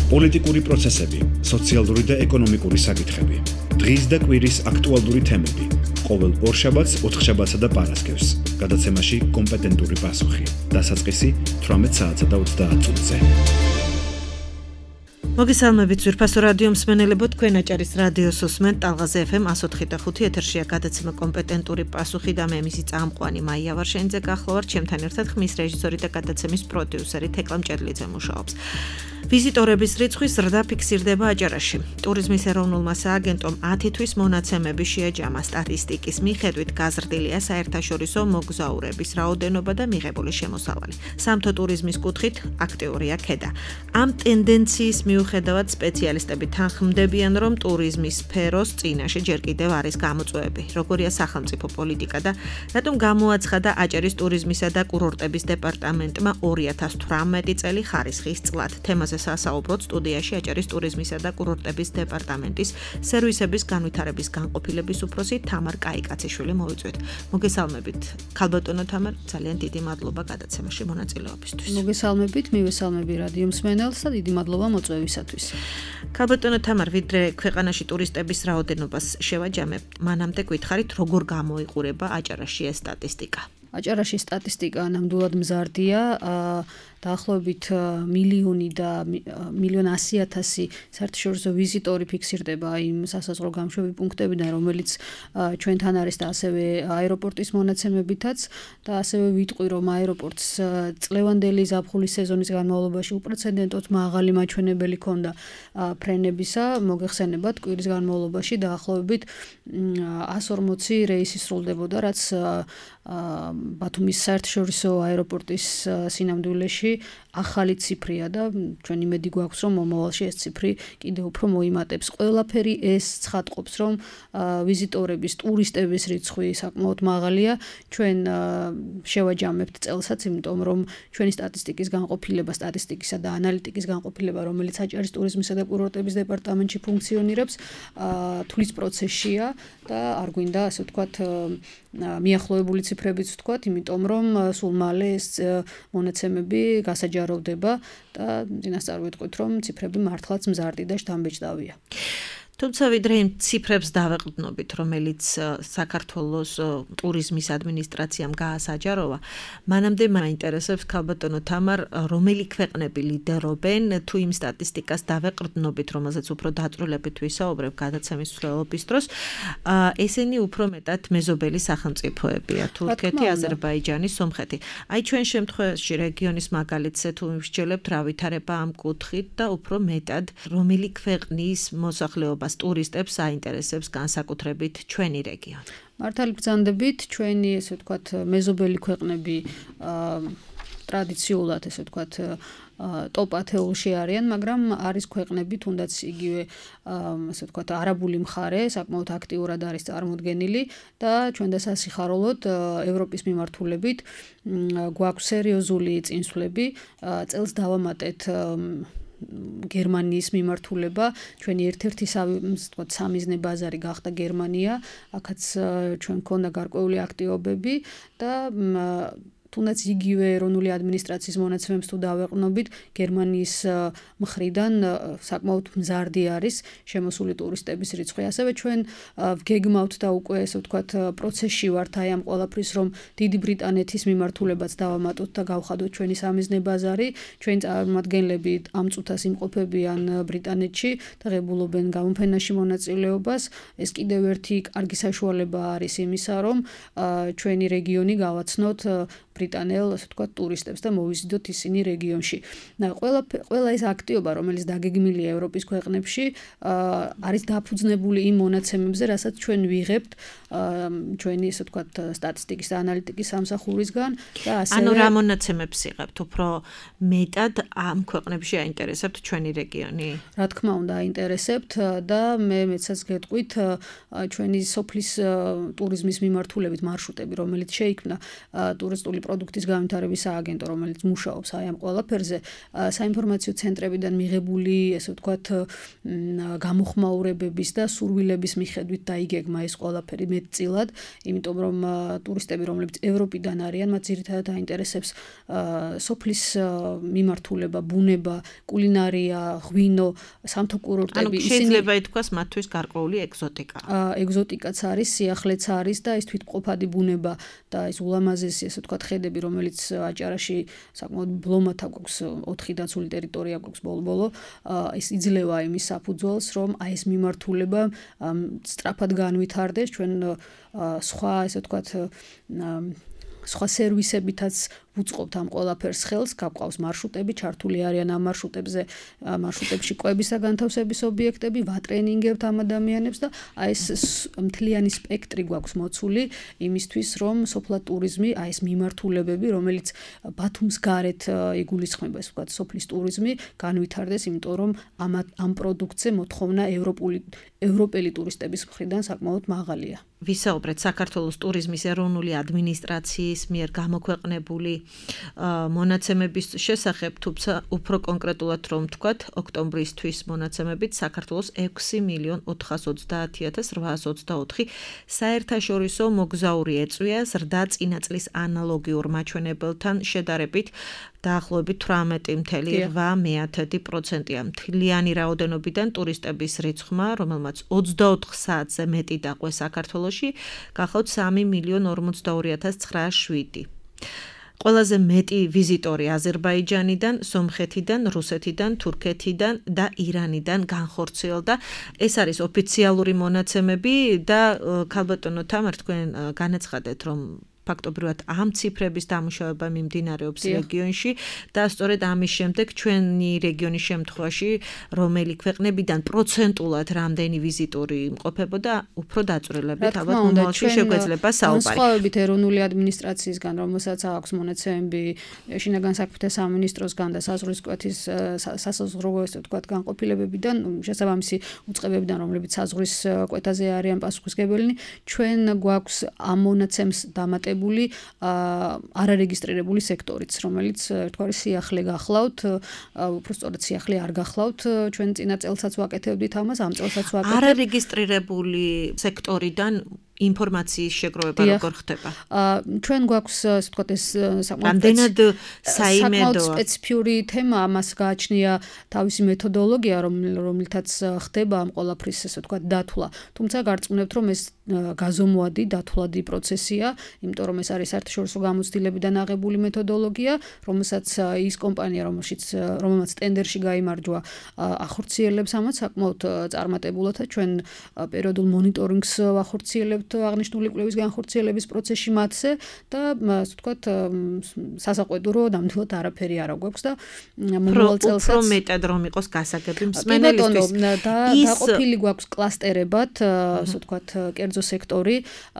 პოლიტიკური პროცესები, სოციალური და ეკონომიკური საკითხები. დღის და კვირის აქტუალური თემები. ყოველ ორშაბათს, ოთხშაბათსა და პარასკევს. გადაცემაში კომპეტენტური პასუხი. დასაწყისი 18 საათსა და 30 წუთზე. მოგესალმებით ძვირფასო რადიო მსმენელებო, თქვენ აჭარის რადიოს უსმენთ ტალღაზე FM 104.5 ეთერშია გადაცემა კომპეტენტური პასუხი და მე მისი წამყვანი მაია ვარშენიძე გახლავართ, ჩემთან ერთად ხმის რეჟისორი და გადაცემის პროდიუსერი თეკლა მჭედლიძე მუშაობს. ვიზიტორების რიცხვის ზრდა ფიქსირდება აჭარაში. ტურიზმის ეროვნულმა სააგენტომ 10 თვის მონაცემები შეაჯამა. სტატისტიკის მიხედვით გაზრდილია საერთაშორისო მოგზაურების რაოდენობა და მიღებული შემოსავალი. სამთო ტურიზმის კუთხით აქტიურია ქედა. ამ ტენდენციის მიუხედავად სპეციალისტები თანხმდებიან, რომ ტურიზმის სფეროს წინაშე ჯერ კიდევ არის გამოწვევები. როგორია სახელმწიფო პოლიტიკა და რატომ გამოაცხადა აჭარის ტურიზმისა და კურორტების დეპარტამენტმა 2018 წელი ხარისხის წლად. თემაზე სასაუბროთ სტუდიაში აჭარის ტურიზმისა და კურორტების დეპარტამენტის სერვისების განვითარების განყოფილების უფროსი თამარ კაიკაციშვილი მოვიწვიეთ. მოგესალმებით. ქალბატონო თამარ, ძალიან დიდი მადლობა გადაცემაში მონაწილეობისთვის. მოგესალმებით, მივესალმები რადიო მსმენელს და დიდი მადლობა მოწვევისათვის. ქალბატონო თამარ, ვიდრე ქვეყანაში ტურისტების რაოდენობას შევაჯამებთ, მანამდე გითხარით, როგორ გამოიყურება აჭარაში ეს სტატისტიკა? აჭარაში სტატისტიკა ნამდვილად მზარდია, დაახლოებით 1,100,000 საერთაშორისო ვიზიტორი ფიქსირდება იმ სასაზღვრო გამშვები პუნქტებიდან, რომელიც ჩვენთან არის და ასევე აეროპორტის მონაცემებითაც და ასევე ვიტყვი, რომ აეროპორტს წლევანდელი ზაფხულის სეზონის განმავლობაში უპრეცედენტოდ მაღალი მაჩვენებელი ჰქონდა ფრენებისა. მოგეხსენებათ, კვირის განმავლობაში დაახლოებით 140 რეისი სრულდებოდა, რაც ბათუმის საერთაშორისო აეროპორტის სინამდვილეში ახალი ციფრია და ჩვენ იმედი გვაქვს, რომ მომავალში ეს ციფრი კიდევ უფრო მოიმატებს. ყველაფერი ეს ცხადყოფს, რომ ვიზიტორების, ტურისტების რიცხვი საკმაოდ მაღალია. ჩვენ შევაჯამებთ წელსაც, იმიტომ რომ ჩვენი სტატისტიკის განყოფილება, სტატისტიკისა და ანალიტიკის განყოფილება, რომელიც აჭარის ტურიზმისა და კურორტების დეპარტამენტში ფუნქციონირებს, თulis პროცესშია და არ გვინდა, ასე ვთქვათ, მიახლოებული ციფრებიც ვთქვათ, იმიტომ რომ სულ მალე ეს მონაცემები გასაჯაროვდება და წინასწარ ვიტყვით, რომ ციფრები მართლაც მზარდი და შთამბეჭდავია. თუმცა ვიდრე იმ ციფრებს დავეყრდნობით, რომელიც საქართველოს ტურიზმის ადმინისტრაციამ გაასაჯაროვა, მანამდე მაინტერესებს ქალბატონო თამარ, რომელი ქვეყნები ლიდერობენ თუ იმ სტატისტიკას დავეყრდნობით, რომელზეც უფრო დაწვრილებით ვისაუბრებ გადაცემის მსვლელობის დროს, ესენი უფრო მეტად მეზობელი სახელმწიფოებია: თურქეთი, აზერბაიჯანი, სომხეთი. აი ჩვენ შემთხვევაში რეგიონის მაგალითზე თუ ვისჯელებთ, რა ვითარება ამ კუთხით და უფრო მეტად რომელი ქვეყნის მოსახლეობა ტურისტებს აინტერესებს განსაკუთრებით ჩვენი რეგიონი. მართალი ბრძანდებით, ჩვენი ესე ვთქვათ მეზობელი ქვეყნები ტრადიციულად ესე ვთქვათ ტოპ 10-ში არიან, მაგრამ არის ქვეყნები, თუნდაც იგივე ასე ვთქვათ არაბული მხარე საკმაოდ აქტიურად არის წარმოდგენილი და ჩვენ დასასიხაროლოდ ევროპის მიმართულებით გვაქვს სერიოზული წინსვლები. წელს დავამატეთ გერმანიის მიმართულება, ჩვენი ერთ-ერთი სამიზნე ბაზარი გახდა გერმანია, აქაც ჩვენ მქონდა გარკვეული აქტივობები და თუნდაც იგივე ეროვნული ადმინისტრაციის მონაცემებს თუ დავეყრდნობით, გერმანიის მხრიდან საკმაოდ მზარდი არის შემოსული ტურისტების რიცხვი. ასევე ჩვენ ვგეგმავთ და უკვე ესე ვთქვათ პროცესში ვართ აი ამ ყველაფრის, რომ დიდი ბრიტანეთის მიმართულებაც დავამატოთ და გავხადოთ ჩვენი სამიზნე ბაზარი. ჩვენი წარმომადგენლები ამ წუთას იმყოფებიან ბრიტანეთში და ღებულობენ გამოფენაში მონაწილეობას. ეს კიდევ ერთი კარგი საშუალება არის იმისა, რომ ჩვენი რეგიონი გავაცნოთ ბრიტანელ, ასე ვთქვათ, ტურისტებს და მოვიზიდოთ ისინი რეგიონში. ყველა ეს აქტივობა, რომელიც დაგეგმილია ევროპის ქვეყნებში, არის დაფუძნებული იმ მონაცემებზე, რასაც ჩვენ ვიღებთ ჩვენი, ასე ვთქვათ, სტატისტიკის და ანალიტიკის სამსახურისგან და ასევე ანუ რა მონაცემებს იღებთ? უფრო მეტად ამ ქვეყნებში აინტერესებთ ჩვენი რეგიონი? რა თქმა უნდა, აინტერესებთ და მეცაც გეტყვით ჩვენი სოფლის ტურიზმის მიმართულებით მარშრუტები, რომელიც შეიქმნა ტურისტული პროდუქტის განვითარების სააგენტო, რომელიც მუშაობს აი ამ ყველაფერზე, საინფორმაციო ცენტრებიდან მიღებული, ესე ვთქვათ, გამოხმაურებების და სურვილების მიხედვით დაიგეგმა ეს ყველაფერი მეტწილად, იმიტომ რომ ტურისტები, რომლებიც ევროპიდან არიან, მათ ძირითადად აინტერესებს სოფლის მიმართულება, ბუნება, კულინარია, ღვინო, სამთო კურორტები, შეიძლება ითქვას მათთვის გარკვეული ეგზოტიკა. ეგზოტიკაც არის, სიახლეც არის და ეს თვითმყოფადი ბუნება და ეს ულამაზესი, ესე ვთქვათ, ხედები, რომელიც აჭარაში საკმაოდ ბლომათა გვაქვს, 4 დაცული ტერიტორია გვაქვს ბოლო-ბოლო, ეს იძლევა იმის საფუძველს, რომ აი ეს მიმართულება სწრაფად განვითარდეს, ჩვენ სხვა, ესე ვთქვათ, სხვა სერვისებითაც ვუწყობთ ამ ყველაფერს ხელს, გაგვყავს მარშრუტები, ჩართული არიან ამ მარშრუტებში კვების და განთავსების ობიექტები, ვატრენინგებთ ამ ადამიანებს და აი ეს მთლიანი სპექტრი გვაქვს მოცული იმისთვის, რომ სოფლად ტურიზმი, აი ეს მიმართულებები, რომელიც ბათუმს გარეთ იგულისხმება, ესე ვთქვათ, სოფლის ტურიზმი განვითარდეს, იმიტომ რომ ამ პროდუქტზე მოთხოვნა ევროპელი ტურისტების მხრიდან საკმაოდ მაღალია. ვისაუბრეთ საქართველოს ტურიზმის ეროვნული ადმინისტრაციის მიერ გამოქვეყნებული მონაცემების შესახებ, თუმცა უფრო კონკრეტულად რომ ვთქვათ, ოქტომბრისთვის მონაცემებით საქართველოს 6.430.824 საერთაშორისო მოგზაური ეწვია ზრდა წინა წლის ანალოგიურ მაჩვენებელთან შედარებით დაახლოებით 18.8%-ია. მთლიანი რაოდენობიდან ტურისტების რიცხვმა, რომელმაც 24 საათზე მეტი დაყვეს საქართველოში, გახავთ 3.042.907. ყველაზე მეტი ვიზიტორი აზერბაიჯანიდან, სომხეთიდან, რუსეთიდან, თურქეთიდან და ირანიდან განხორციელდა. ეს არის ოფიციალური მონაცემები და ქალბატონო თამარ, თქვენ განაცხადეთ, რომ ფაქტობრივად ამ ციფრების დამუშავება მიმდინარეობს რეგიონში და სწორედ ამის შემდეგ ჩვენი რეგიონის შემთხვევაში რომელი ქვეყნებიდან პროცენტულად რამდენი ვიზიტორი იმყოფებოდა უფრო დაწვრილებით ალბათ მომავალში შეგვეძლება საუბარი. განსხვავებით ეროვნული ადმინისტრაციისგან, რომელსაც აქვს მონაცემები შინაგან საქმეთა სამინისტროსგან და საზღვრისკვეთის სასაზღვრო, ესე ვთქვათ, განყოფილებებიდან, შესაბამისი უწყებებიდან, რომლებიც საზღვრის კვეთაზე არიან პასუხისმგებელნი, ჩვენ გვაქვს ამ მონაცემს დამატებული არარეგისტრირებული სექტორიც, რომელიც ერთგვარი სიახლე გახლავთ, უფრო სწორედ სიახლე არ გახლავთ, ჩვენ წინა წელსაც ვაკეთებდით ამას, ამ წელსაც ვაკეთებთ. არარეგისტრირებული სექტორიდან ინფორმაციის შეგროვება როგორ ხდება? ჩვენ გვაქვს, ასე ვთქვათ, ეს რამდენად საიმედოა სპეციფიური თემა, ამას გააჩნია თავისი მეთოდოლოგია, რომლითაც ხდება ამ ყველაფრის, ასე ვთქვათ, დათვლა. თუმცა გარწმუნებთ, რომ ეს გაზომვადი, დათვლადი პროცესია, იმიტომ რომ ეს არის საერთაშორისო გამოცდილებიდან აღებული მეთოდოლოგია, რომელსაც ის კომპანია, რომელმაც ტენდერში გაიმარჯვა, ახორციელებს ამას საკმაოდ წარმატებულად და ჩვენ პერიოდულ მონიტორინგს ვახორციელებთ აღნიშნული კვლევის განხორციელების პროცესში მათზე და ასე ვთქვათ, სასაყვედურო ნამდვილად არაფერი არ გვაქვს და მომავალ წელსაც უფრო მეტად რომ იყოს გასაგები მსმენელისთვის. დაყოფილი გვაქვს კლასტერებად, ასე ვთქვათ, კერძო სექტორი.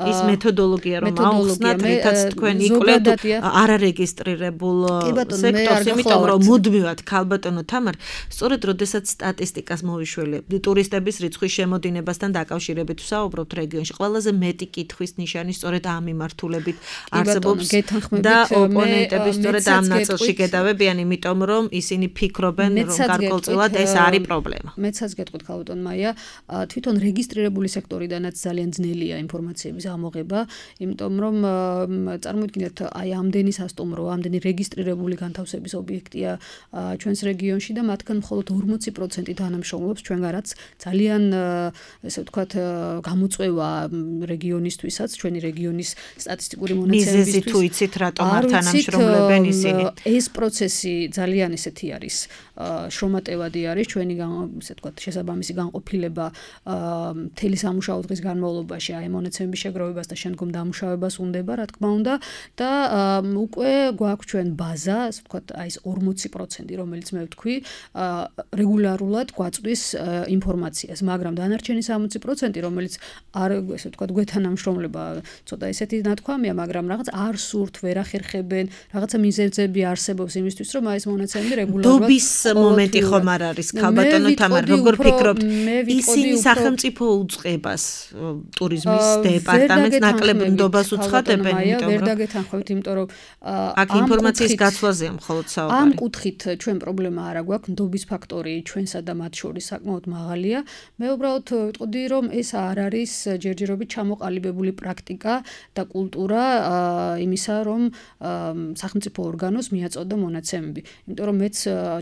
ის მეთოდოლოგია რომ აუხსნათ, რითაც თქვენ იკვლევთ არარეგისტრირებულ სექტორს, იმიტომ რომ მუდმივად ქალბატონო თამარ, სწორედ როდესაც სტატისტიკას მოვიშველებთ, ტურისტების რიცხვის შემოდინებასთან დაკავშირებით ვსაუბრობთ რეგიონში, ყველაზე მეტი კითხვის ნიშანი სწორედ ამ მიმართულებით არსებობს და ოპონენტები სწორედ ამ ნაწილში გედავებიან, იმიტომ რომ ისინი ფიქრობენ, რომ გარკვეულწილად ეს არის პრობლემა. მეცაც გეტყვით ქალბატონ მაია, თვითონ რეგისტრირებული სექტორიდანაც ძალიან ძნელია ინფორმაციების ამოღება, იმიტომ რომ წარმოიდგინეთ, აი ამდენი სასტუმრო, ამდენი რეგისტრირებული განთავსების ობიექტია ჩვენს რეგიონში და მათგან მხოლოდ 40% თანამშრომლობს ჩვენგანაც ძალიან, ესე ვთქვათ, გამოწვევა რეგიონისთვისაც, ჩვენი რეგიონის სტატისტიკური მონაცემებისთვის. მიზეზი თუ იცით, რატომ არ თანამშრომლებენ ისინი? ეს პროცესი ძალიან ესეთი არის, შრომატევადი არის, ჩვენი ესე ვთქვათ, შესაბამისი განყოფილება მთელი სამუშაო დღის განმავლობაში აი მონაცემების შეგროვებას და შემდგომ დამუშავებას უნდება, რა თქმა უნდა, და უკვე გვაქვს ჩვენ ბაზა, ასე ვთქვათ, აი ეს 40%, რომელიც მე ვთქვი, რეგულარულად გვაწვდის ინფორმაციას, მაგრამ დანარჩენი 60%, რომელიც არ, ესე ვთქვათ, თქვა გვეთანამშრომლება ცოტა ესეთი ნათქვამია, მაგრამ რაღაც არ სურთ, ვერ ახერხებენ, რაღაცა მიზეზები არსებობს იმისთვის, რომ ეს მონაცემები რეგულარულად დობის მომენტი ხომ არ არის, ქალბატონო თამარ, როგორ ფიქრობთ? ისინი სახელმწიფო უწყებას, ტურიზმის დეპარტამენტს ნაკლებ ნდობას უცხადებენ, იმიტომ რომ ვერ დაგეთანხმებთ, იმიტომ რომ აქ ინფორმაციის გაცვლაზეა მხოლოდ საუბარი. ამ კუთხით ჩვენ პრობლემა არ აქვს, ნდობის ფაქტორი ჩვენსა და მათ შორის საკმაოდ მაღალია. მე უბრალოდ ვიტყოდი, რომ ეს არ არის ჯერჯერობით ჩამოყალიბებული პრაქტიკა და კულტურა იმისა, რომ სახელმწიფო ორგანოს მიაწოდო მონაცემები. იმიტომ რომ მეც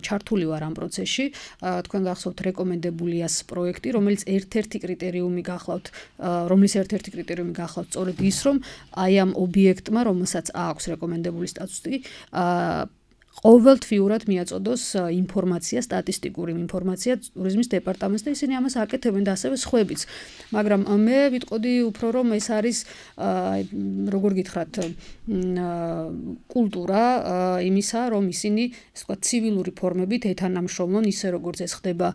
ჩართული ვარ ამ პროცესში, თქვენ გახსოვთ რეკომენდებულიას პროექტი, რომელიც ერთ-ერთი კრიტერიუმი გახლავთ სწორედ ის, რომ აი ამ ობიექტმა, რომელსაც აქვს რეკომენდებული სტატუსი, ყოველთვიურად მიაწოდოს ინფორმაცია, სტატისტიკური ინფორმაცია ტურიზმის დეპარტამენტს და ისინი ამას აკეთებენ და ასევე სხვაებიც. მაგრამ მე ვიტყოდი უფრო რომ ეს არის როგორ გითხრათ კულტურა იმისა, რომ ისინი ასე ვთქვათ ცივილური ფორმებით ეთანამშრომლონ ისე როგორც ეს ხდება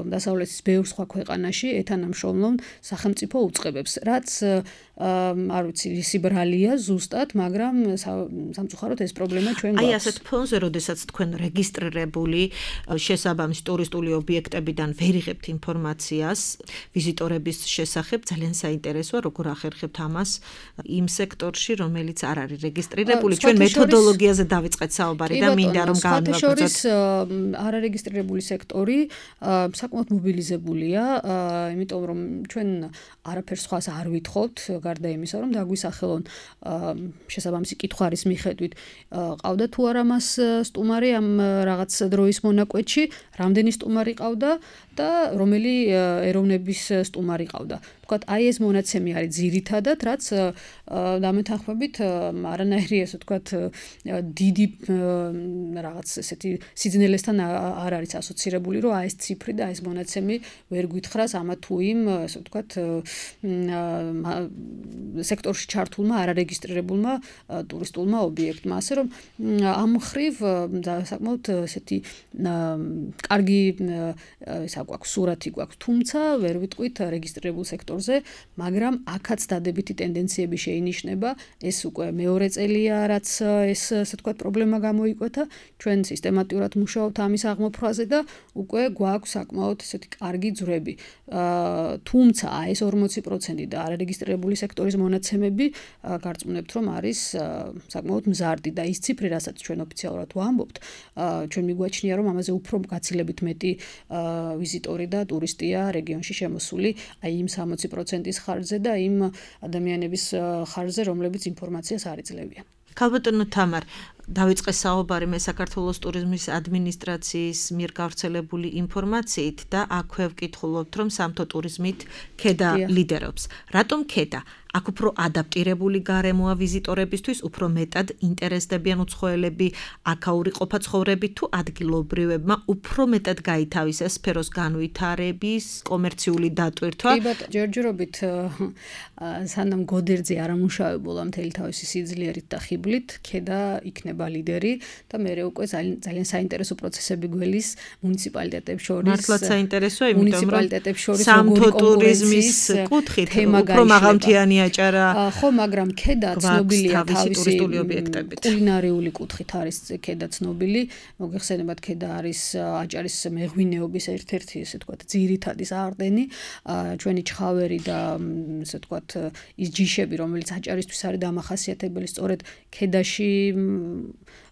დასავლეთის ბევრ სხვა ქვეყანაში, ეთანამშრომლონ სახელმწიფო უწყებებს, რაც არ ვიცი, ისი ბრალია ზუსტად, მაგრამ სამწუხაროდ ეს პრობლემა ჩვენ გვაქვს. აი ასეთ ფონზე, როდესაც თქვენ რეგისტრირებული შესაბამისი ტურისტული ობიექტებიდან ვერ იღებთ ინფორმაციას ვიზიტორების შესახებ, ძალიან საინტერესოა, როგორ ახერხებთ ამას იმ სექტორში, რომელიც არ არის რეგისტრირებული. ჩვენ მეთოდოლოგიაზე დავიწყეთ საუბარი და მინდა რომ განვაგრძელოთ. არარეგისტრირებული სექტორი საკმაოდ მობილიზებულია, იმიტომ რომ ჩვენ არაფერს სხვას არ ვითხოვთ, გარდა იმისა, რომ დაგვისახელონ შესაბამისი კითხვის მიხედვით ყავდა თუ არა მას სტუმარი ამ რაღაც დროის მონაკვეთში, რამდენი სტუმარი ყავდა და რომელი ეროვნების სტუმარი ყავდა. თქვათ, აი ეს მონაცემი არის ძირითადად, რაც დამეთანხმებით არანაირი ასე თქვათ დიდი რაღაც ესეთი სიძნელესთან არ არის ასოცირებული, რომ აი ეს ციფრი და ეს მონაცემი ვერ გითხრას ამა თუ იმ ასე თქვათ სექტორში ჩართულმა არარეგისტრირებულმა ტურისტულმა ობიექტმა, ასე რომ ამ მხრივ საკმაოდ ესეთი კარგი გვაქვს სურათი გვაქვს, თუმცა ვერ ვიტყვით რეგისტრირებულ სექტორზე, მაგრამ აქაც დადებითი ტენდენციები შეინიშნება, ეს უკვე მეორე წელია, რაც ეს ასე თქვათ პრობლემა გამოიკვეთა, ჩვენ სისტემატურად მუშაობთ ამის აღმოფხვრაზე და უკვე გვაქვს საკმაოდ ესეთი კარგი ძვრები. თუმცა ეს 40% და არარეგისტრირებული სექტორის მონაცემები გარწმუნებთ, რომ არის საკმაოდ მზარდი და ის ციფრი, რასაც ჩვენ ოფიციალურად ვამბობთ, ჩვენ მიგვაჩნია, რომ ამაზე უფრო გაცილებით მეტი ვიზიტორი და ტურისტია რეგიონში შემოსული, აი იმ 60%-ის ხარჯზე და იმ ადამიანების ხარჯზე, რომლებიც ინფორმაციას არ იძლევიან. ქალბატონო თამარ, დავიწყე საუბარი მე საქართველოს ტურიზმის ადმინისტრაციის მიერ გავრცელებული ინფორმაციით და აქვე ვკითხულობთ, რომ სამთო ტურიზმით ქედა ლიდერობს. რატომ ქედა? აქ უფრო ადაპტირებული გარემოა ვიზიტორებისთვის, უფრო მეტად ინტერესდებიან უცხოელები, აქაური ყოფაცხოვრები თუ ადგილობრივებმა უფრო მეტად გაითავისეს სფეროს განვითარების კომერციული დატვირთვა. ჯერჯერობით სანამ გოდერძი არ ამუშავებულა მთელი თავისი სიძლიერით და ხიბლით, ქედა იქნება ლიდერი და მე უკვე ძალიან საინტერესო პროცესები გველის მუნიციპალიტეტებს შორის. მართლაც საინტერესოა, იმიტომ რომ სამთო ტურიზმის კუთხით უფრო მაღალმთიანი ხო, მაგრამ ქედა ცნობილია თავისი კულინარიული კუთხით არის ქედა ცნობილი. მოგეხსენებათ, ქედა არის აჭარის მეღვინეობის ერთ-ერთი ესე ვთქვათ ძირითადი საყრდენი, ჩვენი ჩხავერი და ესე ვთქვათ ის ჯიშები, რომელიც აჭარისთვის არის დამახასიათებელი, სწორედ ქედაში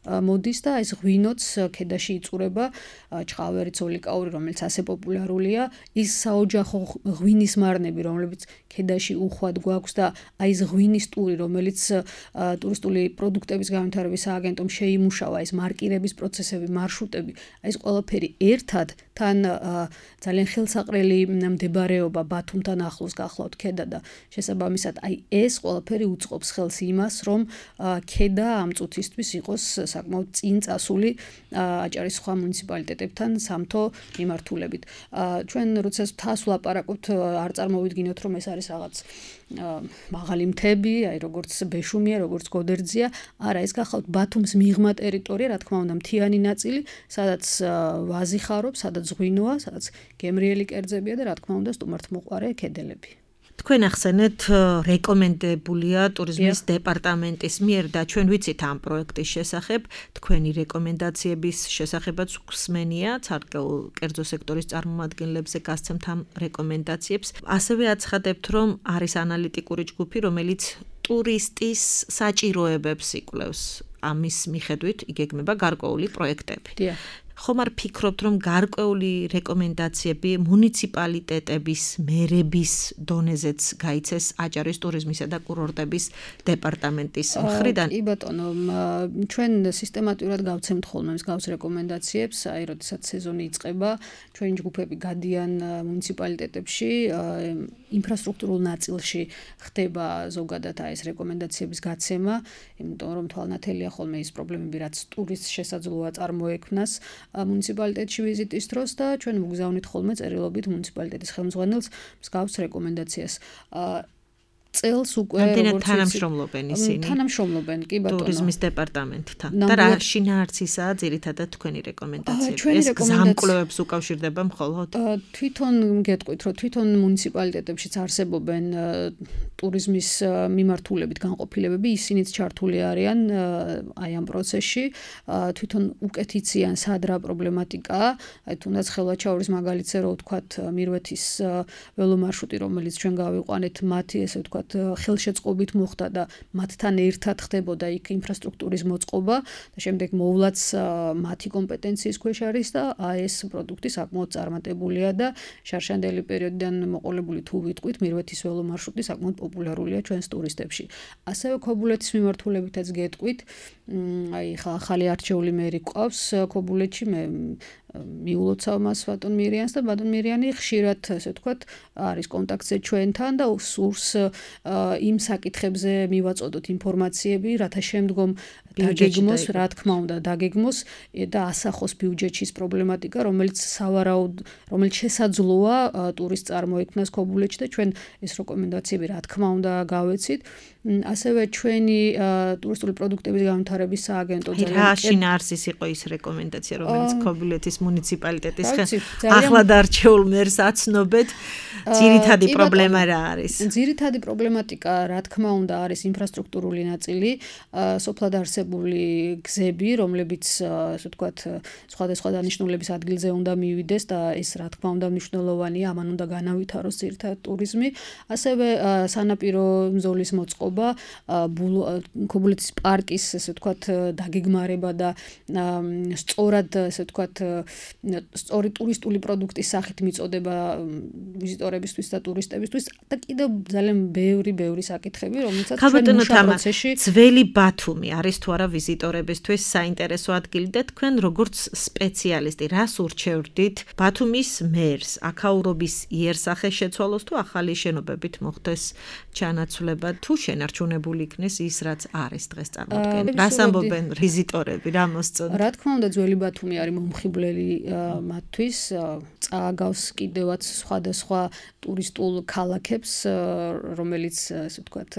მოდის და ეს ღვინოც ქედაში იწურება, ჩხავერი, ცოლიკაური, რომელიც ასე პოპულარულია, ის საოჯახო ღვინის მარნები, რომლებიც ქედაში უხვად გვაქვს და აი ეს ღვინის ტური, რომელიც ტურისტული პროდუქტების განვითარების სააგენტომ შეიმუშავა, ეს მარკირების პროცესები, მარშრუტები, აი ეს ყველაფერი ერთად თან ძალიან ხელსაყრელი მდებარეობა ბათუმთან ახლოს გახლავთ ქედა და შესაბამისად აი ეს ყველაფერი უწყობს ხელს იმას, რომ ქედა ამ წუთისთვის იყოს საკმაოდ წინ წასული აჭარის სხვა მუნიციპალიტეტებთან სამთო მიმართულებით. ჩვენ როცა თავს ვლაპარაკობთ, არ წარმოვიდგინოთ, რომ ეს არის რაღაც მაღალი მთები, აი როგორც ბეშუმია, როგორც გოდერძია, არა, ეს გახლავთ ბათუმს მიღმა ტერიტორია, რა თქმა უნდა, მთიანი ნაწილი, სადაც ვაზი ხარობს, სადაც ღვინოა, სადაც გემრიელი კერძებია და რა თქმა უნდა, სტუმართმოყვარე ქედელები. თქვენ ახსენეთ რეკომენდებულია ტურიზმის დეპარტამენტის მიერ და ჩვენ ვიცით ამ პროექტის შესახებ, თქვენი რეკომენდაციების შესახებაც გვსმენია, კერძო სექტორის წარმომადგენლებზე გასცემთ ამ რეკომენდაციებს. ასევე აცხადებთ, რომ არის ანალიტიკური ჯგუფი, რომელიც ტურისტის საჭიროებებს იკვლევს. ამის მიხედვით იგეგმება გარკვეული პროექტები. ხომ არ ფიქრობთ, რომ გარკვეული რეკომენდაციები მუნიციპალიტეტების, მერების დონეზეც გაიცეს აჭარის ტურიზმისა და კურორტების დეპარტამენტის მხრიდან? კი ბატონო, ჩვენ სისტემატურად გავცემთ ხოლმე მსგავს რეკომენდაციებს, აი როდესაც სეზონი იწყება, ჩვენი ჯგუფები გადიან მუნიციპალიტეტებში, ინფრასტრუქტურულ ნაწილში ხდება ზოგადად ეს რეკომენდაციების გაცემა, იმიტომ რომ თვალნათელია ხოლმე ის პრობლემები, რაც ტურისტს შესაძლოა წარმოექმნას მუნიციპალიტეტში ვიზიტის დროს და ჩვენ ვგზავნით ხოლმე წერილობით მუნიციპალიტეტის ხელმძღვანელს მსგავს რეკომენდაციას. წელს უკვე როგორც თანამშრომლობენ ისინი. თანამშრომლობენ, კი ბატონო. ტურიზმის დეპარტამენტთან. და რა შინაარსისაა ძირითადად თქვენი რეკომენდაციები? ეს გზამკვლევებს უკავშირდება მხოლოდ? თვითონ გეტყვით, რომ თვითონ მუნიციპალიტეტებშიც არსებობენ ტურიზმის მიმართულებით განყოფილებები, ისინიც ჩართული არიან აი ამ პროცესში. თვითონ უკეთ იციან სად რა პრობლემატიკაა. აი თუნდაც ხელვაჩაურის მაგალითზე რო ვთქვათ, მირვეთის ველომარშრუტი, რომელიც ჩვენ გავიყვანეთ, მათი ესე ვთქვათ ხელშეწყობით მოხდა და მათთან ერთად ხდებოდა იქ ინფრასტრუქტურის მოწყობა და შემდეგ მოვლაც მათი კომპეტენციის ქვეშ არის და ეს პროდუქტი საკმაოდ წარმატებულია და შარშანდელი პერიოდიდან მოყოლებული თუ ვიტყვით მირვეთის ველომარშრუტი საკმაოდ პოპულარულია ჩვენს ტურისტებში. ასევე ქობულეთის მიმართულებითაც გეტყვით, აი ახალი არჩეული მერი ყავს ქობულეთში, მე მიულოცავ მას ბატონ მირიანს და ბატონ მირიანი ხშირად ესე ვთქვათ არის კონტაქტზე ჩვენთან და სურს იმ საკითხებზე მივაწოდოთ ინფორმაციები, რათა შემდგომ დაგეგმოს, რა თქმა უნდა, დაგეგმოს და ასახოს ბიუჯეტის პრობლემატიკა, რომელიც რომელიც შესაძლოა ტურისტს წარმოექმნას ქობულეთში და ჩვენ ეს რეკომენდაციები რა თქმა უნდა გავეცით. ასევე ჩვენი ტურისტული პროდუქტების განვითარების სააგენტო რა შინაარსის იყო ის რეკომენდაცია, რომელიც ქობულეთის მუნიციპალიტეტის ახლად არჩეულ მერს აცნობეთ, ძირითადი პრობლემა რა არის? ძირითადი პრობლემატიკა, რა თქმა უნდა, არის ინფრასტრუქტურული ნაწილი, სოფლად არსებული გზები, რომლებიც, ასე ვთქვათ, სხვადასხვა დანიშნულების ადგილზე უნდა მივიდეს და ეს რა თქმა უნდა მნიშვნელოვანია, ამან უნდა განავითაროს ძირითადად ტურიზმი. ასევე სანაპირო მძოლის მოწყობა, ქობულეთის პარკის, ასე ვთქვათ, დაგეგმარება და სწორად, ასე ვთქვათ, სწორი ტურისტული პროდუქტის სახით მიწოდება ვიზიტორებისთვის და ტურისტებისთვის და კიდევ ძალიან ბევრი საკითხები, რომელსაც ჩვენ მუშა პროცესში ძველი ბათუმი არის თუ არა ვიზიტორებისთვის საინტერესო ადგილი და თქვენ როგორც სპეციალისტი რას ურჩევდით ბათუმის მერს, აქაურობის იერსახეს შეცვალოს თუ ახალი შენობებით მოხდეს ჩანაცვლება თუ შენარჩუნებული იქნეს ის რაც არის დღეს წარმოადგენს. რას ამბობენ ვიზიტორები, რა მოსწონთ? რა თქმა უნდა, ძველი ბათუმი არის მომხიბვლელი მათთვის, წააგავს კიდევაც სხვადასხვა ტურისტულ ქალაქებს, რომელიც ასე ვთქვათ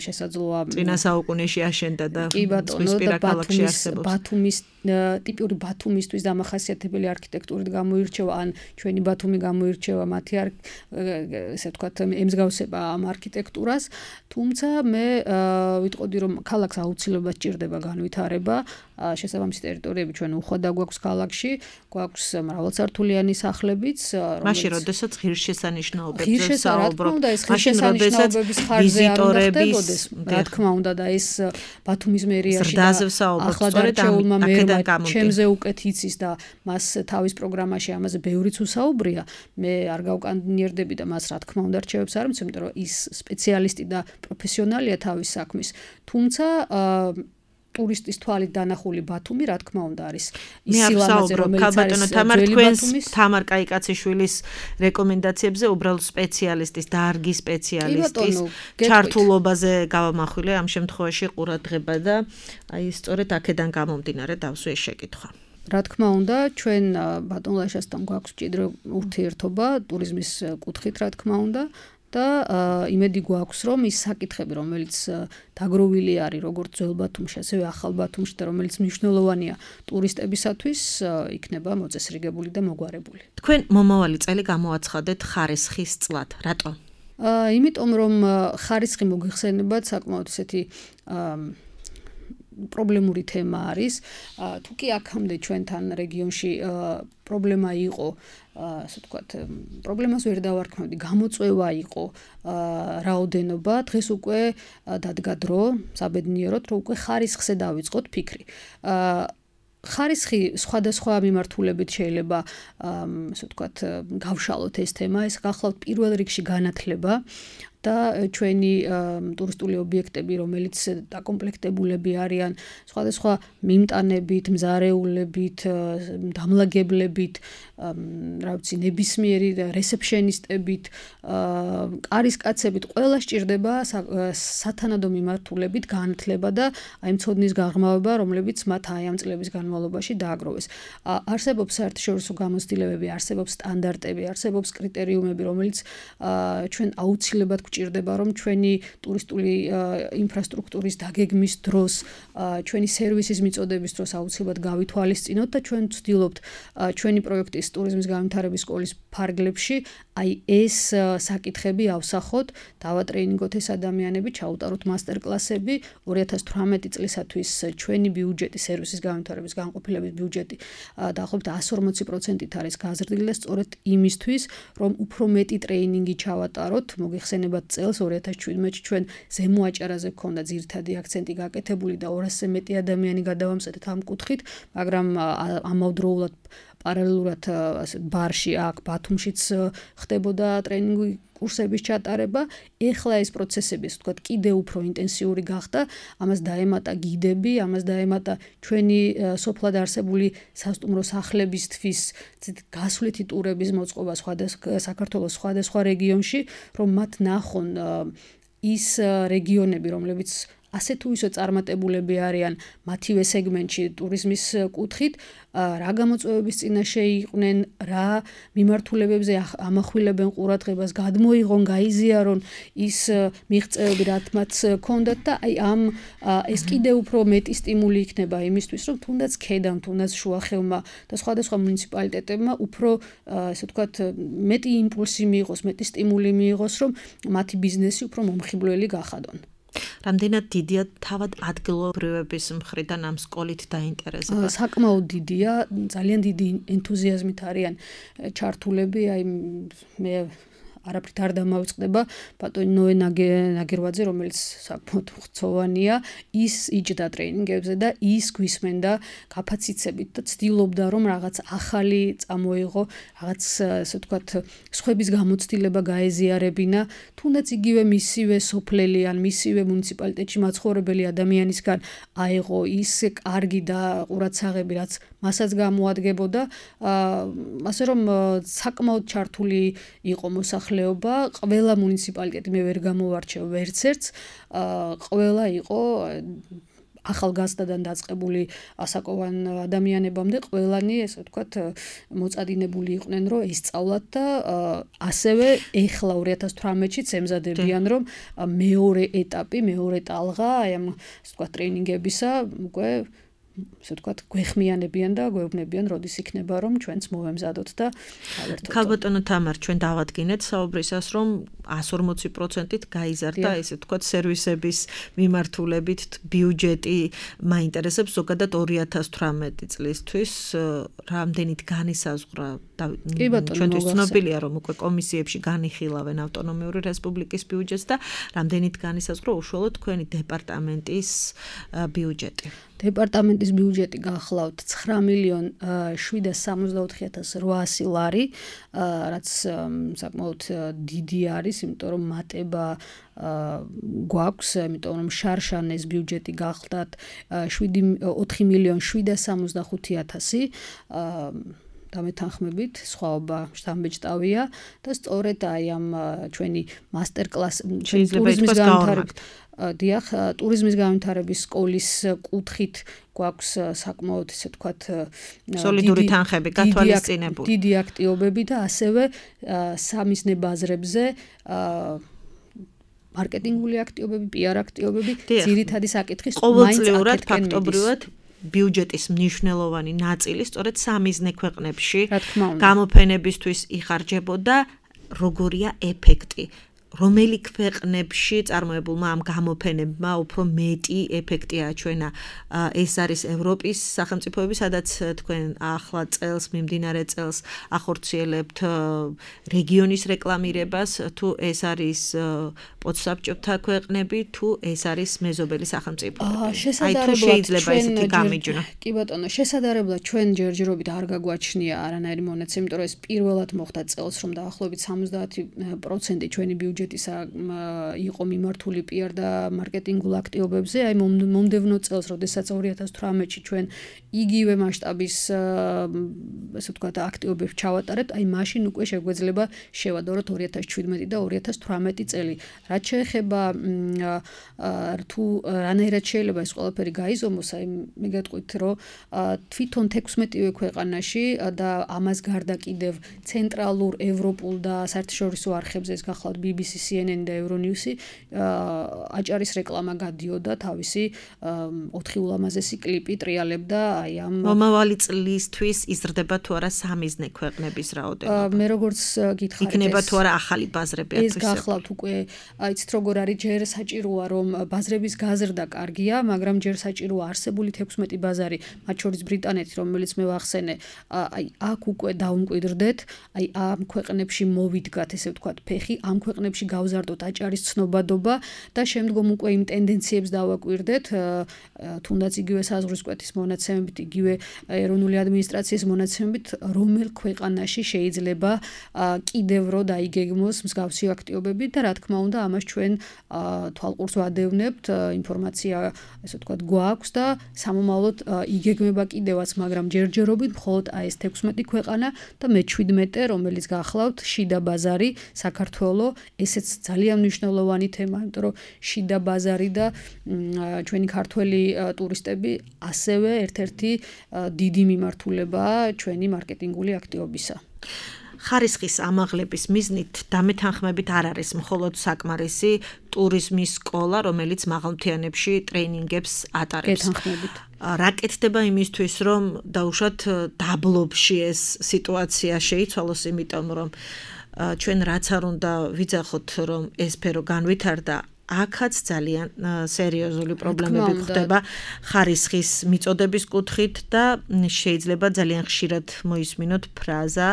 შესაძლოა წინა საუკუნეში აშენდა და ზღვისპირა ქალაქში არსებობს. ბათუმის ტიპური ბათუმისთვის დამახასიათებელი არქიტექტურით გამოირჩევა, ან ჩვენი ბათუმი გამოირჩევა მათი ესე ვთქვათ ემსგავსება ამ არქიტექტურას, თუმცა მე ვიტყოდი რომ ქალაქს აუცილებლად სჭირდება განვითარება, შესაბამისი ტერიტორიები ჩვენ უხვად გვაქვს ქალაქში, გვაქვს მრავალსართულიანი სახლებიც, მაშინ როდესაც ღირსშესანიშნაობებზე საუბრობთ, მაშინ როდესაც ვიზიტორების, რა თქმა უნდა და ეს ბათუმის მერიაში ახლად არჩეულმა მერმა ჩემზე უკეთ იცის და მას თავის პროგრამაში ამაზე ბევრიც უსაუბრია, მე არ გავკანონიერდები და მას რა თქმა უნდა რჩევებს არ მიცემ, იმიტომ რომ ის სპეციალისტი და პროფესიონალია თავის საქმის, თუმცა ტურისტის თვალით დანახული ბათუმი, რა თქმა უნდა, არის ის სილამაზე, რომელიც არის ძველი ბათუმის. თამარ კაიკაციშვილის რეკომენდაციებზე უბრალოდ სპეციალისტის, დარგის სპეციალისტის ჩართულობაზე გავამახვილე ამ შემთხვევაში ყურადღება და აი სწორედ აქედან გამომდინარე დავსვე ეს შეკითხვა. რა თქმა უნდა, ჩვენ ბატონ ლაშასთან გვაქვს მჭიდრო ურთიერთობა ტურიზმის კუთხით, რა თქმა უნდა. და იმედი გვაქვს, რომ ის საკითხები, რომელიც დაგროვილი არის როგორც ძველ ბათუმში, ასევე ახალ ბათუმში და რომელიც მნიშვნელოვანია ტურისტებისათვის, იქნება მოწესრიგებული და მოგვარებული. თქვენ მომავალი წელი გამოაცხადეთ ხარესხის წლად. რატო? იმიტომ რომ ხარისხი მოიხსენებათ საკმაოდ ესეთი პრობლემური თემა არის. თუ კი აქამდე ჩვენთან რეგიონში პრობლემა იყო, ასე ვთქვათ, პრობლემას ვერ დავარქმევდი, გამოწვევა იყო რაოდენობა, დღეს უკვე დადგა დრო, საბედნიეროდ, რომ უკვე ხარისხზე დავიწყოთ ფიქრი. ხარისხი სხვადასხვა მიმართულებით შეიძლება, ასე ვთქვათ, გავშალოთ ეს თემა, ეს გახლავთ პირველ რიგში განათლება. და ჩვენი ტურისტული ობიექტები, რომელიც დაკომპლექტებულები არიან სხვადასხვა მიმტანებით, მზარეულებით, დამლაგებლებით, რა ვიცი, ნებისმიერი რესეფშენისტებით, კარისკაცებით, ყველა სჭირდება სათანადო მიმართულებით განათლება და აი მცოდნის გაღრმავება, რომლებიც მათ აი ამ წლების განმავლობაში დააგროვეს. არსებობს საერთაშორისო გამოცდილებები, არსებობს სტანდარტები, არსებობს კრიტერიუმები, რომელიც ჩვენ აუცილებლად გვჭირდება, რომ ჩვენი ტურისტული ინფრასტრუქტურის დაგეგმის დროს, ჩვენი სერვისის მიწოდების დროს აუცილებლად გავითვალისწინოთ და ჩვენ ვცდილობთ ჩვენი პროექტის ტურიზმის განვითარების სკოლის ფარგლებში აი ეს საკითხები ავსახოთ, დავატრეინინგოთ ეს ადამიანები, ჩაუტაროთ მასტერკლასები. 2018 წლისათვის ჩვენი ბიუჯეტი, სერვისის განვითარების განყოფილების ბიუჯეტი დაახლოებით 140%-ით არის გაზრდილი და სწორედ იმისთვის, რომ უფრო მეტი ტრეინინგი ჩავატაროთ, მოგიხსენებათ წელს 2017-ში ჩვენ ზემო აჭარაზე გქონდა ძირითადი აქცენტი გაკეთებული და 200-ზე მეტი ადამიანი გადავამზადეთ ამ კუთხით, მაგრამ ამავდროულად პარალელურად ბარში აქ ბათუმშიც ხდებოდა ტრეინინგი კურსების ჩატარება. ეხლა ეს პროცესები, ასე ვთქვათ, კიდევ უფრო ინტენსიური გახდა. ამას დაემატა გიდები, ამას დაემატა ჩვენი სოფლად არსებული სასტუმრო სახლებისთვის გასვლითი ტურების მოწყობა საქართველოს სხვადასხვა რეგიონში, რომ მათ ნახონ ის რეგიონები, რომლებიც ასე თუ ისე წარმატებულები არიან მათივე სეგმენტში ტურიზმის კუთხით, რა გამოწვევების წინაშე იყვნენ, რა მიმართულებებზე ამახვილებენ ყურადღებას, გადმოიღონ, გაიზიარონ ის მიღწევები, რაც მათ ჰქონდათ და აი ეს კიდევ უფრო მეტი სტიმული იქნება იმისთვის, რომ თუნდაც ქედამ, თუნდაც შუახევმა და სხვადასხვა მუნიციპალიტეტებმა უფრო, ასე ვთქვათ, მეტი იმპულსი მიიღოს, მეტი სტიმული მიიღოს, რომ მათი ბიზნესი უფრო მომხიბვლელი გახადონ. რამდენად დიდია თავად ადგილობრივების მხრიდან ამ სკოლით დაინტერესება? საკმაოდ დიდია, ძალიან დიდი ენთუზიაზმით არიან ჩართულები, აი მე არაფრით არ დამავიწყდება ბატონი ნოე ნაგერვაძე, რომელიც საკმაოდ ხცოვანია, ის იჯდა ტრეინინგებზე და ის გვისმენდა კაპაციტეტებით და ცდილობდა, რომ რაღაც ახალი წამოიღო, რაღაც, ასე ვთქვათ, სხვების გამოცდილება გაეზიარებინა, თუნდაც იგივე მისივე სოფლელი ან მისივე მუნიციპალიტეტში მაცხოვრებელი ადამიანისგან აიღო ის კარგი და ყურადსაღები, რაც მასაც გამოადგებოდა, ასე რომ საკმაოდ ჩართული იყო მოსახლეობა, ყველა მუნიციპალიტეტი მე ვერ გამოვარჩევ ვერც ერთს, ყველა იყო ახალგაზრდადან დაწყებული ასაკოვან ადამიანებამდე, ყველანი, ესე ვთქვათ, მოწადინებული იყვნენ, რომ ისწავლათ და ასევე ეხლა 2018-ში ემზადებიან, რომ მეორე ეტაპი, მეორე ტალღა აი ამ, ასე ვთქვათ, ტრეინინგებისა უკვე ასე ვთქვათ, გვეხმიანებიან და გვეუბნებიან, როდის იქნება, რომ ჩვენც მოვემზადოთ და გავერთოთ. ქალბატონო თამარ, ჩვენ დავადგინეთ საუბრისას, რომ 140%-ით გაიზარდა, ესე ვთქვათ, სერვისების მიმართულებით ბიუჯეტი მაინტერესებს ზოგადად 2018 წლისთვის, რამდენით განისაზღვრა ჩვენთვის ცნობილია, რომ უკვე კომისიებში განიხილავენ ავტონომიური რესპუბლიკის ბიუჯეტს და რამდენით განისაზღვრა უშუალოდ თქვენი დეპარტამენტის ბიუჯეტი. დეპარტამენტის ბიუჯეტი გახლავთ 9,764,800 ლარი, რაც საკმაოდ დიდი არის, იმიტომ რომ მატება გვაქვს, იმიტომ რომ შარშანეს ბიუჯეტი გახლდათ 4,765,000 დამეთანხმებით, სხვაობა შთამბეჭდავია და სწორედ აი ამ ჩვენი ტურიზმის განვითარების დიახ, ტურიზმის განვითარების სკოლის კუთხით გვაქვს საკმაოდ, ესე ვთქვათ, სოლიდური თანხები გათვალისწინებული. დიდი აქტივობები და ასევე სამიზნე ბაზრებზე მარკეტინგული აქტივობები, PR აქტივობები, ძირითადი საკითხის ყოველწლიურად ფაქტობრივად ბიუჯეტის მნიშვნელოვანი ნაწილი სწორედ სამიზნე ქვეყნებში გამოფენებისთვის იხარჯებოდა. როგორია ეფექტი? რომელი ქვეყნებში წარმოებულმა ამ გამოფენებმა უფრო მეტი ეფექტი აჩვენა. ეს არის ევროპის სახელმწიფოები, სადაც თქვენ ახლა წელს, მიმდინარე წელს ახორციელებთ რეგიონის რეკლამირებას, თუ ეს არის პოსტსაბჭოთა ქვეყნები, თუ ეს არის მეზობელი სახელმწიფოები. აი თუ შეიძლება ესეთი გამიჯნა. კი ბატონო, შესაძლებლად ჩვენ ჯერჯერობით არ გაგვაჩნია არანაირი მონაცემი, იმიტომ რომ ეს პირველად მოხდა წელს, რომ დაახლოებით 70% ჩვენი ბიუჯეტისა იყო მიმართული PR და მარკეტინგულ აქტივობებზე. აი მომდევნო წელს, როდესაც 2018-ში ჩვენ იგივე მასშტაბის ასე ვთქვათ აქტივობებს ჩავატარებთ, აი მაშინ უკვე შეგვეძლება შევადაროთ 2017 და 2018 წელი. რაც შეეხება თუ რანაირად შეიძლება ეს ყველაფერი გაიზომოს, აი მე გეტყვით, რომ თვითონ 16-ვე ქვეყანაში და ამას გარდა კიდევ ცენტრალურ, ევროპულ და საერთაშორისო არხებზე ეს გახლავთ BBC, CNN და Euronews-ი აჭარის რეკლამა გადიოდა თავისი 4 ულამაზესი კლიპი ტრიალებდა აი ამ მომავალი წლისთვის იზრდება თუ არა სამიზნე ქვეყნების რაოდენობა. მე როგორც გითხარით იქნება თუ არა ახალი ბაზრები ეს გახლავთ უკვე იცით როგორ არის ჯერ საჭიროა რომ ბაზრების გაზრდა კარგია, მაგრამ ჯერ საჭიროა არსებული 16 ბაზარი, მათ შორის ბრიტანეთი, რომელიც მე ვახსენე, აი აქ უკვე დაუმკვიდრდეთ, აი ამ ქვეყნებში მოვიდგათ, ესე ვთქვათ, ფეხი, ამ ქვეყნებში გავზარდოთ აჭარის ცნობადობა და შემდგომ უკვე იმ ტენდენციებს დავაკვირდეთ, თუნდაც იგივე საზღვრისკვეთის მონაცემებით, იგივე ეროვნული ადმინისტრაციის მონაცემებით, რომელ ქვეყანაში შეიძლება კიდევ რო დაიგეგმოს მსგავსი აქტივობები და რა თქმა უნდა, ამას ჩვენ თვალყურს ვადევნებთ, ინფორმაცია, ესე ვთქვათ, გვაქვს და სამომავლოდ იგეგმება კიდევაც, მაგრამ ჯერჯერობით მხოლოდ აი ეს 16 ქვეყანა და მე-17, რომელიც გახლავთ შიდა ბაზარი, საქართველოს, ესეც ძალიან მნიშვნელოვანი თემა, იმიტომ რომ შიდა ბაზარი და ჩვენი ქართველი ტურისტები ასევე ერთ-ერთი დიდი მიმართულებაა ჩვენი მარკეტინგული აქტივობისა. ხარისხის ამაღლების მიზნით დამეთანხმებით არ არის მხოლოდ საკმარისი ტურიზმის სკოლა, რომელიც მაღალმთიანებში ტრეინინგებს ატარებს. გეთანხმებით. რა კეთდება იმისთვის, რომ დაუშვათ დაბლობში ეს სიტუაცია შეიცვალოს, იმიტომ რომ ჩვენ რაც არ უნდა ვიძახოთ, რომ ეს სფერო განვითარდა, აქაც ძალიან სერიოზული პრობლემები გვხდება ხარისხის მიწოდების კუთხით და შეიძლება ძალიან ხშირად მოისმინოთ ფრაზა,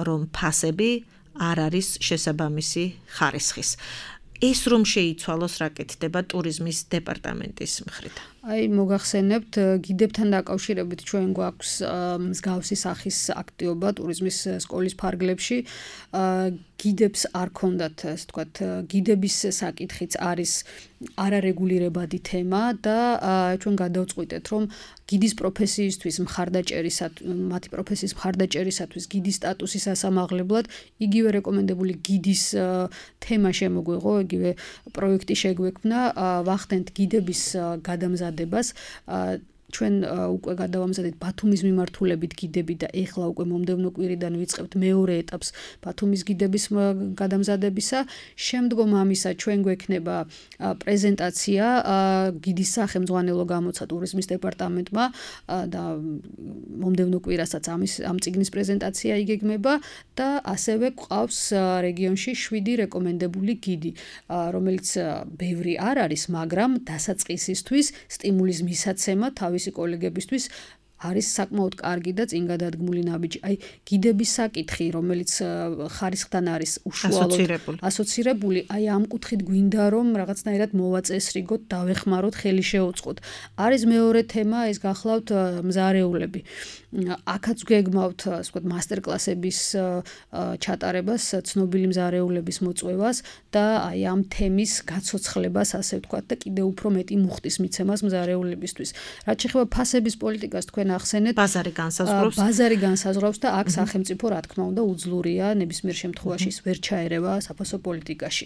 რომ ფასები არ არის შესაბამისი ხარისხის. ეს რომ შეიცვალოს, რა კეთდება ტურიზმის დეპარტამენტის მხრიდან? აი მოგახსენებთ, გიდებთან დაკავშირებით ჩვენ გვაქვს მსგავსი სახის აქტივობა ტურიზმის სკოლის ფარგლებში. გიდებს არ ქონდათ, ასე ვთქვათ, გიდების საკითხიც არის არარეგულირებადი თემა და ჩვენ გადავწყვიტეთ, რომ გიდის პროფესიისთვის მათი პროფესიის მხარდაჭერისათვის გიდის სტატუსის ასამაღლებლად იგივე რეკომენდებული გიდის თემა შემოგვეღო, იგივე პროექტი შეგვექმნა, ვახდენთ გიდების გადამზადებას. ჩვენ უკვე გადავამზადეთ ბათუმის მიმართულებით გიდები და ეხლა უკვე მომდევნო კვირიდან ვიწყებთ მეორე ეტაპს ბათუმის გიდების გადამზადებისა. შემდგომ ამისა ჩვენ გვექნება პრეზენტაცია გიდის სახელმძღვანელო გამოცა ტურიზმის დეპარტამენტმა და მომდევნო კვირასაც ამ წიგნის პრეზენტაცია იგეგმება და ასევე გვყავს რეგიონში 7 რეკომენდებული გიდი, რომელიც ბევრი არ არის, მაგრამ დასაწყისისთვის სტიმულის მისაცემა თავისი კოლეგებისთვის არის საკმაოდ კარგი და წინ გადადგმული ნაბიჯი. აი გიდების საკითხი, რომელიც ხარისხთან არის უშუალოდ ასოცირებული, აი ამ კუთხით გვინდა რომ რაღაცნაირად მოვაწესრიგოთ, დავეხმაროთ, ხელი შეუწყოთ. არის მეორე თემა, ეს გახლავთ მზარეულები. აქაც გეგმავთ, ასე ვთქვათ, მასტერკლასების ჩატარებას, ცნობილი მზარეულების მოწვევას და აი ამ თემის გაცოცხლებას, ასე ვთქვათ, და კიდევ უფრო მეტი მუხტის მიცემას მზარეულებისთვის. რაც შეეხება ფასების პოლიტიკას, თქვენ ახსენეთ, ბაზარი განსაზღვრავს და აქ სახელმწიფო, რა თქმა უნდა, უძლურია ნებისმიერ შემთხვევაში ვერ ჩაერევა საფასო პოლიტიკაში.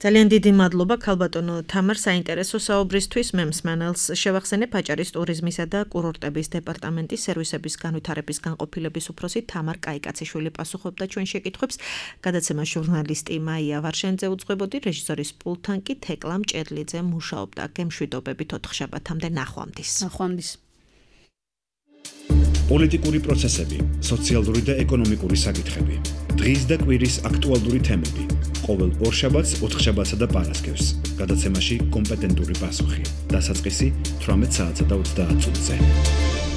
ძალიან დიდი მადლობა ქალბატონო თამარ საინტერესო საუბრისთვის. მე მსმენელს შევახსენებ აჭარის ტურიზმისა და კურორტების დეპარტამენტის სერვისების განვითარების განყოფილების უფროსი თამარ კაიკაციშვილი პასუხობდა ჩვენ შეკითხვებს. გადაცემა ჟურნალისტი მაია ვარშენძე უძღვებოდი, რეჟისორის პულტთან კი თეკლა მჭედლიძე მუშაობდა. გემშვიდობებით 4 შაბათამდე ნახვამდის. პოლიტიკური პროცესები, სოციალური და ეკონომიკური საკითხები, დღის და კვირის აქტუალური თემები. ყოველ ორშაბათს, ოთხშაბათსა და პარასკევს. გადაცემაში კომპეტენტური პასუხი. დასაწყისი 18 საათსა და 30 წუთზე.